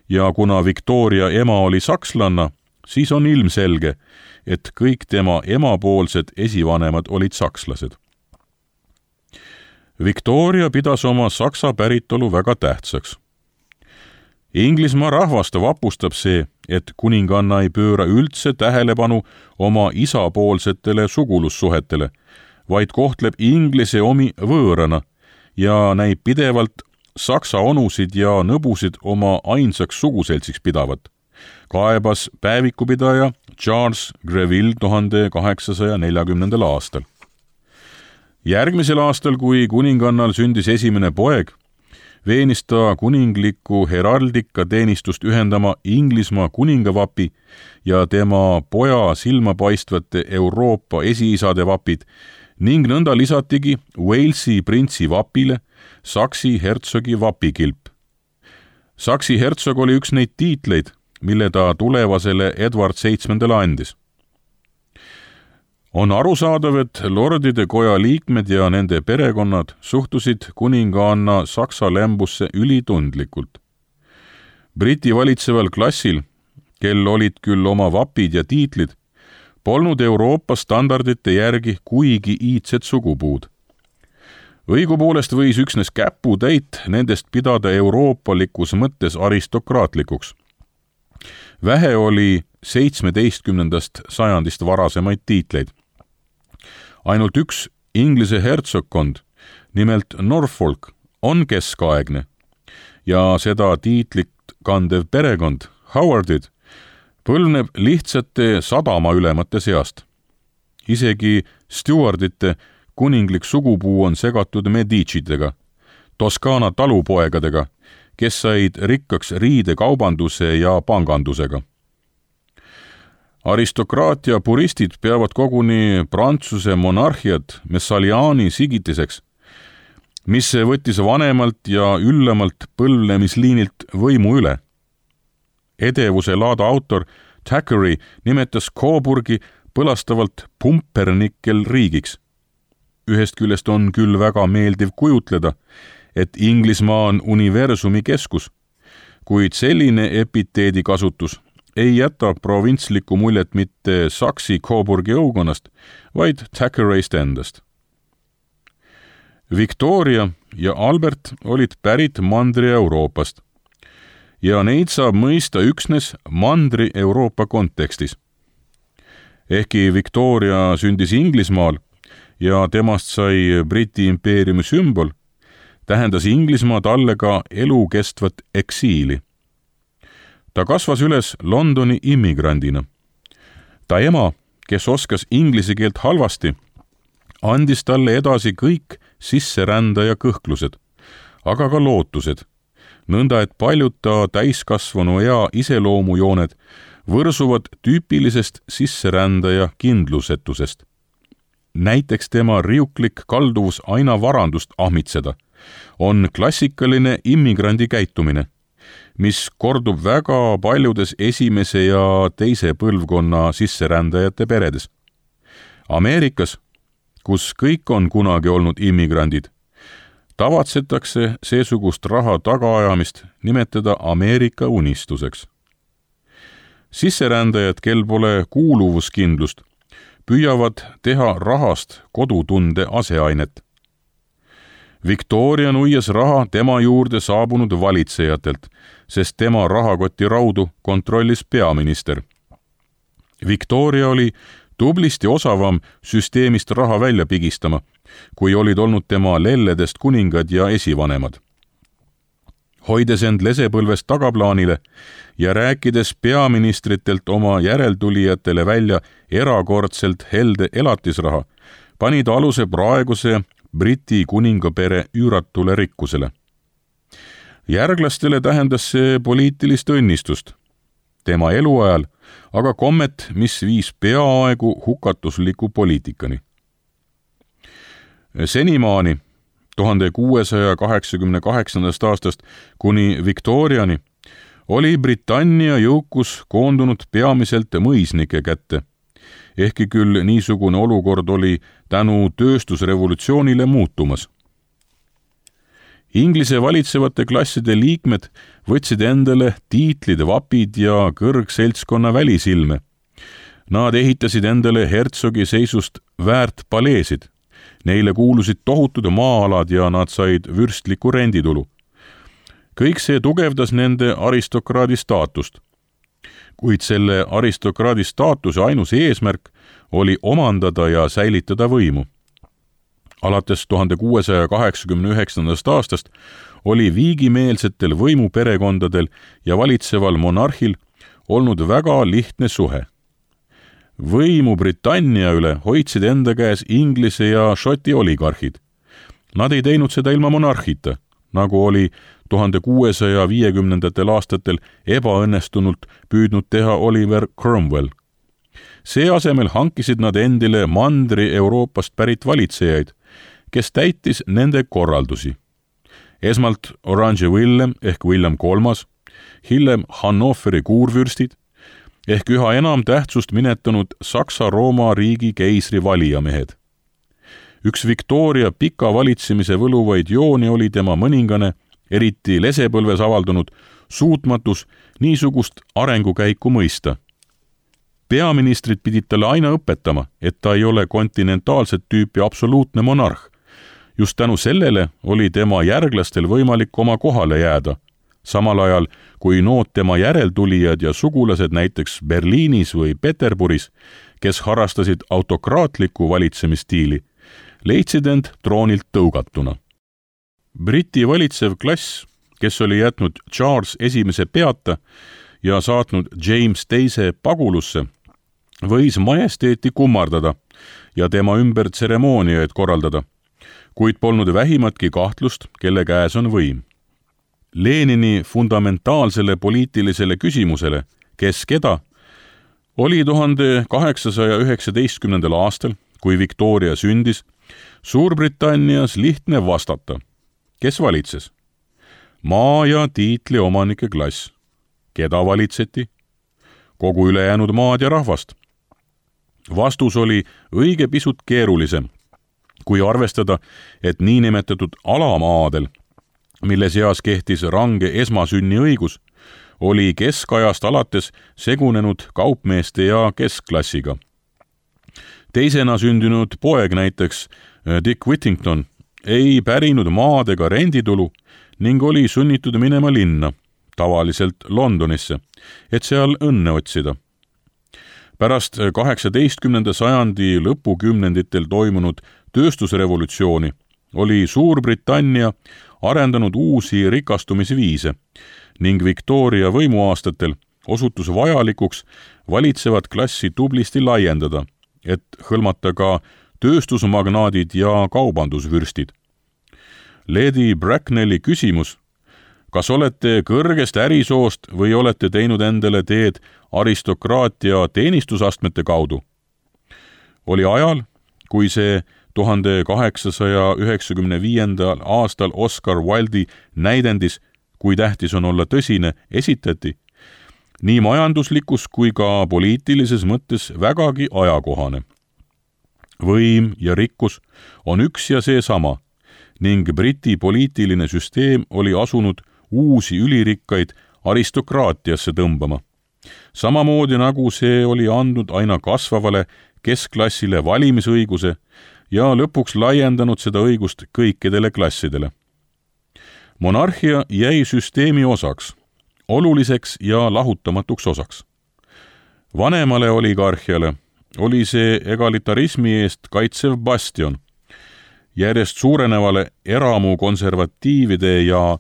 Ja kuna Victoria ema oli sakslanna, siis on ilmselge, et kõik tema emapoolsed esivanemad olid sakslased. Victoria pidas oma saksa päritolu väga tähtsaks. Inglismaa rahvast vapustab see, et kuninganna ei pööra üldse tähelepanu oma isapoolsetele sugulussuhetele, vaid kohtleb inglise omi võõrana ja näib pidevalt saksa onusid ja nõbusid oma ainsaks suguseltsiks pidavat, kaebas päevikupidaja Charles Greville tuhande kaheksasaja neljakümnendal aastal. Järgmisel aastal, kui kuningannal sündis esimene poeg, veenis ta kuninglikku heraldika teenistust ühendama Inglismaa kuningavapi ja tema poja silmapaistvate Euroopa esiisade vapid ning nõnda lisatigi Walesi printsi vapile Saksi hertsogi vapikilp. Saksi hertsog oli üks neid tiitleid, mille ta tulevasele Edward seitsmendale andis. On arusaadav, et lordide koja liikmed ja nende perekonnad suhtusid kuninganna Saksa lämbusse ülitundlikult. Briti valitseval klassil, kel olid küll oma vapid ja tiitlid, polnud Euroopa standardite järgi kuigi iidsed sugupuud. Õigupoolest võis üksnes käputäit nendest pidada euroopalikus mõttes aristokraatlikuks. Vähe oli seitsmeteistkümnendast sajandist varasemaid tiitleid. Ainult üks Inglise hertsogkond, nimelt Norfolk, on keskaegne ja seda tiitlit kandev perekond, Howardid, põlvneb lihtsate sadamaülemate seast. Isegi Stewardite kuninglik sugupuu on segatud Medicitega, Toskaana talupoegadega, kes said rikkaks riidekaubanduse ja pangandusega. Aristokraatia puristid peavad koguni Prantsuse monarhiat Messaliani sigitiseks, mis võttis vanemalt ja üllemalt põlvnemisliinilt võimu üle. Edevuse laada autor Thackeray nimetas Coburgi põlastavalt pumpernikkel riigiks. Ühest küljest on küll väga meeldiv kujutleda, et Inglismaa on universumi keskus, kuid selline epiteedi kasutus ei jäta provintslikku muljet mitte Saksi Coburgi õukonnast, vaid Thackerayst endast. Victoria ja Albert olid pärit Mandri-Euroopast ja neid saab mõista üksnes Mandri-Euroopa kontekstis. Ehkki Victoria sündis Inglismaal ja temast sai Briti impeeriumi sümbol, tähendas Inglismaa talle ka elukestvat eksiili. Ta kasvas üles Londoni immigrandina. Ta ema, kes oskas inglise keelt halvasti, andis talle edasi kõik sisserändaja kõhklused, aga ka lootused, nõnda et paljud ta täiskasvanu ea iseloomujooned võrsuvad tüüpilisest sisserändaja kindlusetusest. Näiteks tema riuklik kalduvus aina varandust ahmitseda on klassikaline immigrandi käitumine, mis kordub väga paljudes esimese ja teise põlvkonna sisserändajate peredes. Ameerikas, kus kõik on kunagi olnud immigrandid, tavatsetakse seesugust raha tagaajamist nimetada Ameerika unistuseks. Sisserändajad, kel pole kuuluvuskindlust, püüavad teha rahast kodutunde aseainet. Victoria nuias raha tema juurde saabunud valitsejatelt, sest tema rahakoti raudu kontrollis peaminister. Victoria oli tublisti osavam süsteemist raha välja pigistama, kui olid olnud tema lelledest kuningad ja esivanemad. Hoides end lesepõlvest tagaplaanile ja rääkides peaministritelt oma järeltulijatele välja erakordselt helde elatisraha, pani ta aluse praeguse Briti kuningapere üüratule rikkusele. Järglastele tähendas see poliitilist õnnistust. Tema eluajal aga kommet, mis viis peaaegu hukatusliku poliitikani. Senimaani, tuhande kuuesaja kaheksakümne kaheksandast aastast kuni Victoriani, oli Britannia jõukus koondunud peamiselt mõisnike kätte, ehkki küll niisugune olukord oli tänu tööstusrevolutsioonile muutumas. Inglise valitsevate klasside liikmed võtsid endale tiitlid, vapid ja kõrgseltskonna välisilme. Nad ehitasid endale hertsogi seisust väärt paleesid. Neile kuulusid tohutud maa-alad ja nad said vürstliku renditulu. kõik see tugevdas nende aristokraadi staatust. Kuid selle aristokraadi staatuse ainus eesmärk oli omandada ja säilitada võimu. Alates tuhande kuuesaja kaheksakümne üheksandast aastast oli viigimeelsetel võimuperekondadel ja valitseval monarhil olnud väga lihtne suhe. Võimu Britannia üle hoidsid enda käes Inglise ja Šoti oligarhid. Nad ei teinud seda ilma monarhita, nagu oli tuhande kuuesaja viiekümnendatel aastatel ebaõnnestunult püüdnud teha Oliver Cromwell. See asemel hankisid nad endile mandri Euroopast pärit valitsejaid, kes täitis nende korraldusi. Esmalt Orange Willem ehk William kolmas, hiljem Hannoveri kuurvürstid ehk üha enam tähtsust minetanud Saksa-Rooma riigi keisri valijamehed. Üks Victoria pika valitsemise võluvaid jooni oli tema mõningane, eriti lesepõlves avaldunud suutmatus niisugust arengukäiku mõista. Peaministrid pidid talle aina õpetama, et ta ei ole kontinentaalset tüüpi absoluutne monarh. Just tänu sellele oli tema järglastel võimalik oma kohale jääda, samal ajal kui nood tema järeltulijad ja sugulased näiteks Berliinis või Peterburis, kes harrastasid autokraatliku valitsemisstiili, leidsid end troonilt tõugatuna. Briti valitsev klass, kes oli jätnud Charles esimese peata ja saatnud James teise pagulusse, võis majesteeti kummardada ja tema ümber tseremooniaid korraldada, kuid polnud vähimatki kahtlust, kelle käes on võim. Lenini fundamentaalsele poliitilisele küsimusele, kes keda, oli tuhande kaheksasaja üheksateistkümnendal aastal, kui Victoria sündis, Suurbritannias lihtne vastata. Kes valitses? Maa- ja tiitli omanike klass. Keda valitseti? Kogu ülejäänud maad ja rahvast. Vastus oli õige pisut keerulisem, kui arvestada, et niinimetatud alamaadel, mille seas kehtis range esmasünni õigus, oli keskajast alates segunenud kaupmeeste ja keskklassiga. Teisena sündinud poeg näiteks Dick Whittington ei pärinud maad ega renditulu ning oli sunnitud minema linna, tavaliselt Londonisse, et seal õnne otsida. Pärast kaheksateistkümnenda sajandi lõpukümnenditel toimunud tööstusrevolutsiooni oli Suurbritannia arendanud uusi rikastumisviise ning Victoria võimuaastatel osutus vajalikuks valitsevat klassi tublisti laiendada, et hõlmata ka tööstusmagnaadid ja kaubandusvürstid. Lady Bracknelli küsimus, kas olete kõrgest ärisoost või olete teinud endale teed aristokraatia teenistusastmete kaudu, oli ajal, kui see tuhande kaheksasaja üheksakümne viiendal aastal Oscar Wilde'i näidendis, kui tähtis on olla tõsine, esitati, nii majanduslikus kui ka poliitilises mõttes vägagi ajakohane. Võim ja rikkus on üks ja seesama ning Briti poliitiline süsteem oli asunud uusi ülirikkaid aristokraatiasse tõmbama. Samamoodi nagu see oli andnud aina kasvavale keskklassile valimisõiguse ja lõpuks laiendanud seda õigust kõikidele klassidele. Monarhia jäi süsteemi osaks, oluliseks ja lahutamatuks osaks. Vanemale oligarhiale oli see egalitarismi eest kaitsev bastion. Järjest suurenevale eramu konservatiivide ja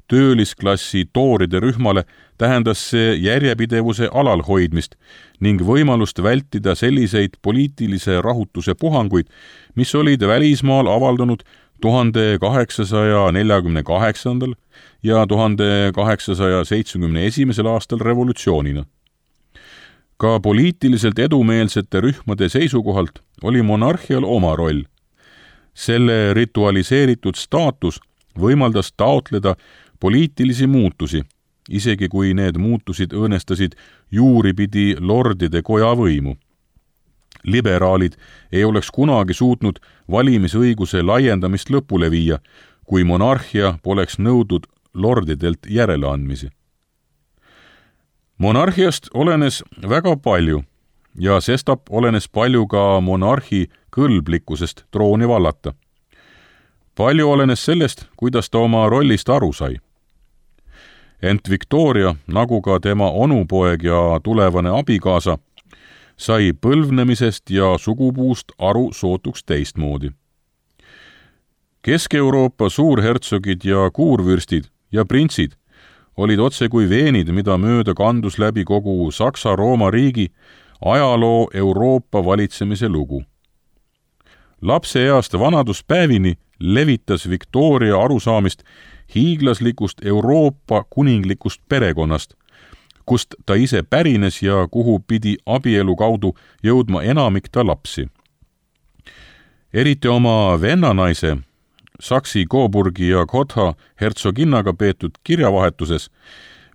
töölisklassi tooride rühmale tähendas see järjepidevuse alalhoidmist ning võimalust vältida selliseid poliitilise rahutuse puhanguid, mis olid välismaal avaldunud tuhande kaheksasaja neljakümne kaheksandal ja tuhande kaheksasaja seitsmekümne esimesel aastal revolutsioonina. Ka poliitiliselt edumeelsete rühmade seisukohalt oli monarhial oma roll. Selle ritualiseeritud staatus võimaldas taotleda poliitilisi muutusi, isegi kui need muutusid õõnestasid juuripidi lordide koja võimu. Liberaalid ei oleks kunagi suutnud valimisõiguse laiendamist lõpule viia, kui monarhia poleks nõudnud lordidelt järeleandmisi. Monarhiast olenes väga palju ja sestap olenes palju ka monarhi kõlblikkusest trooni vallata. Palju olenes sellest, kuidas ta oma rollist aru sai. Ent Victoria, nagu ka tema onupoeg ja tulevane abikaasa, sai põlvnemisest ja sugupuust aru sootuks teistmoodi. Kesk-Euroopa suurhertsogid ja kuurvürstid ja printsid olid otse kui veenid, mida mööda kandus läbi kogu Saksa-Rooma riigi ajaloo Euroopa valitsemise lugu. Lapseeast vanaduspäevini levitas Victoria arusaamist hiiglaslikust Euroopa kuninglikust perekonnast, kust ta ise pärines ja kuhu pidi abielu kaudu jõudma enamik ta lapsi. Eriti oma vennanaise, Saksi, Coburgi ja Gotha hertsoginnaga peetud kirjavahetuses,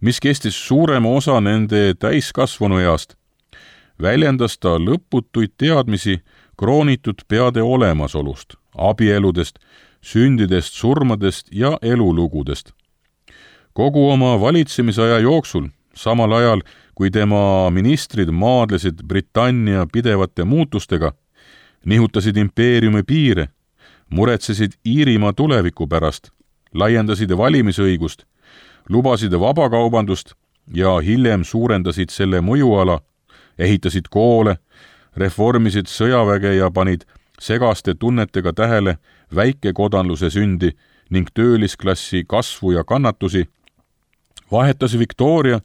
mis kestis suurema osa nende täiskasvanu east, väljendas ta lõputuid teadmisi kroonitud peade olemasolust, abieludest, sündidest, surmadest ja elulugudest. Kogu oma valitsemisaja jooksul, samal ajal kui tema ministrid maadlesid Britannia pidevate muutustega, nihutasid impeeriumi piire, muretsesid Iirimaa tuleviku pärast, laiendasid valimisõigust, lubasid vabakaubandust ja hiljem suurendasid selle mõjuala, ehitasid koole, reformisid sõjaväge ja panid segaste tunnetega tähele väikekodanluse sündi ning töölisklassi kasvu ja kannatusi, vahetas Victoria,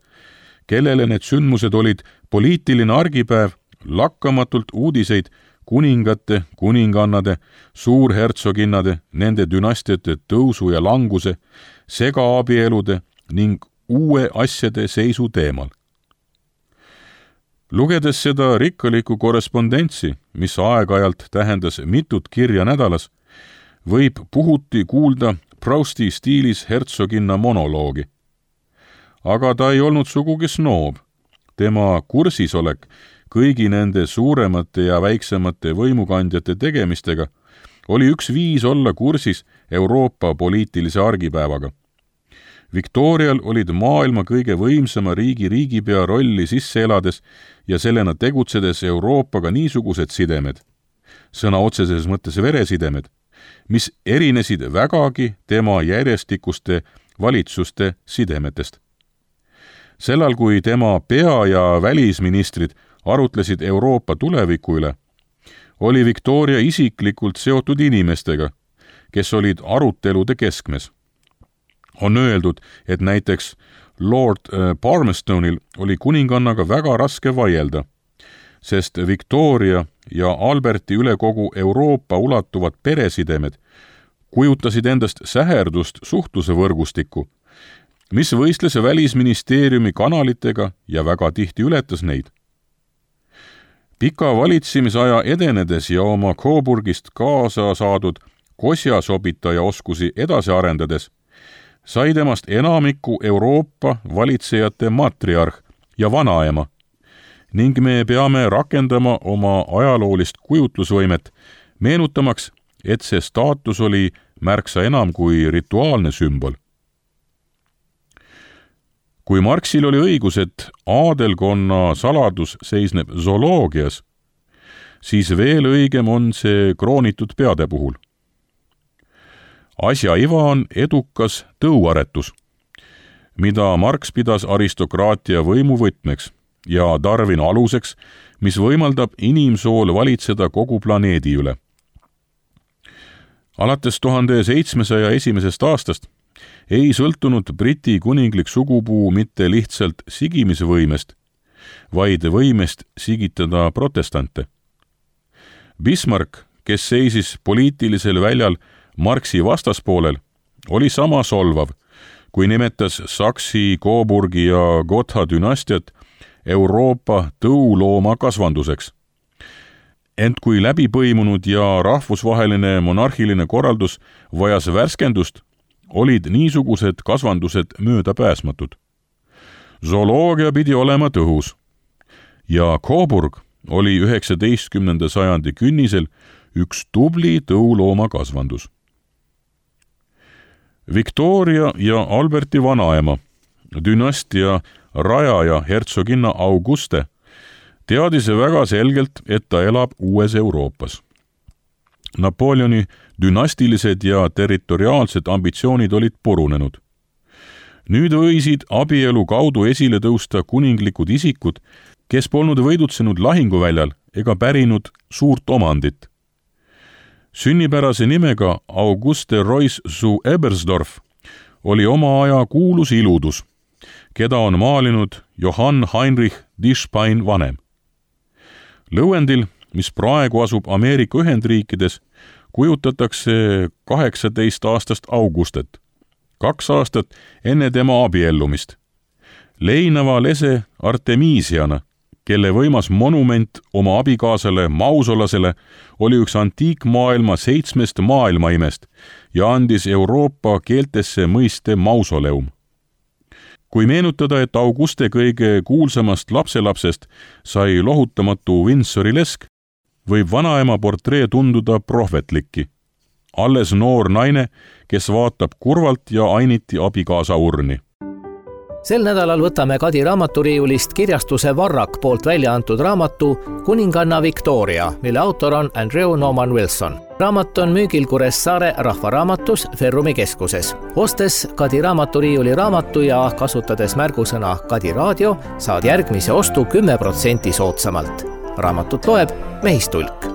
kellele need sündmused olid poliitiline argipäev, lakkamatult uudiseid kuningate, kuningannade, suurhertsoginnade, nende dünastiate tõusu ja languse, segaabielude ning uue asjade seisu teemal. Lugedes seda rikkalikku korrespondentsi, mis aeg-ajalt tähendas mitut kirja nädalas, võib puhuti kuulda Prousti stiilis hertsoginna monoloogi. Aga ta ei olnud sugugi snoob. Tema kursisolek kõigi nende suuremate ja väiksemate võimukandjate tegemistega oli üks viis olla kursis Euroopa poliitilise argipäevaga. Victorial olid maailma kõige võimsama riigi riigipea rolli sisse elades ja sellena tegutsedes Euroopaga niisugused sidemed, sõna otseses mõttes veresidemed, mis erinesid vägagi tema järjestikuste valitsuste sidemetest. Sellal, kui tema pea- ja välisministrid arutlesid Euroopa tuleviku üle, oli Victoria isiklikult seotud inimestega, kes olid arutelude keskmes. On öeldud, et näiteks Lord Palmerstonil oli kuningannaga väga raske vaielda, sest Victoria ja Alberti üle kogu Euroopa ulatuvad peresidemed kujutasid endast säherdust suhtluse võrgustikku, mis võistles välisministeeriumi kanalitega ja väga tihti ületas neid. Pika valitsemisaja edenedes ja oma Coburgist kaasa saadud kosjasobitaja oskusi edasi arendades, sai temast enamiku Euroopa valitsejate matriarh ja vanaema ning me peame rakendama oma ajaloolist kujutlusvõimet, meenutamaks, et see staatus oli märksa enam kui rituaalne sümbol. Kui Marxil oli õigus, et aadelkonna saladus seisneb zooloogias, siis veel õigem on see kroonitud peade puhul. Asja iva on edukas tõuaretus, mida Marx pidas aristokraatia võimu võtmeks ja Darwin aluseks, mis võimaldab inimsool valitseda kogu planeedi üle. Alates tuhande seitsmesaja esimesest aastast ei sõltunud Briti kuninglik sugupuu mitte lihtsalt sigimisvõimest, vaid võimest sigitada protestante. Bismarck, kes seisis poliitilisel väljal Marxi vastaspoolel, oli sama solvav, kui nimetas Saksi, Coburgi ja Gotha dünastiat Euroopa tõulooma kasvanduseks. Ent kui läbipõimunud ja rahvusvaheline monarhiline korraldus vajas värskendust, olid niisugused kasvandused möödapääsmatud. Zooloogia pidi olema tõhus ja Coburg oli üheksateistkümnenda sajandi künnisel üks tubli tõulooma kasvandus. Victoria ja Alberti vanaema, dünastia rajaja hertsoginna Auguste, teadis väga selgelt, et ta elab uues Euroopas. Napoleoni dünastilised ja territoriaalsed ambitsioonid olid purunenud. nüüd võisid abielu kaudu esile tõusta kuninglikud isikud, kes polnud võidutsenud lahinguväljal ega pärinud suurt omandit. Sünnipärase nimega Auguste Royce zu Ebersdorf oli oma aja kuulus iludus, keda on maalinud Johann Heinrich Tischbein vanem. Lõuendil, mis praegu asub Ameerika Ühendriikides, kujutatakse kaheksateist aastast Augustet, kaks aastat enne tema abiellumist. Leinava lese Artemisiana, kelle võimas monument oma abikaasale Mausolasele oli üks antiikmaailma seitsmest maailmaimest ja andis Euroopa keeltesse mõiste mausoleum. Kui meenutada, et Auguste kõige kuulsamast lapselapsest sai lohutamatu Windsori lesk, võib vanaema portree tunduda prohvetlikki. Alles noor naine, kes vaatab kurvalt ja ainiti abikaasa urni. Sel nädalal võtame Kadi raamaturiiulist kirjastuse Varrak poolt välja antud raamatu Kuninganna Victoria, mille autor on Andrew Norman Wilson. Raamat on müügil Kuressaare rahvaraamatus Ferrumi keskuses. Ostes Kadi raamaturiiuli raamatu ja kasutades märgusõna Kadi raadio, saad järgmise ostu kümme protsenti soodsamalt. Raamatut loeb Mehistulk.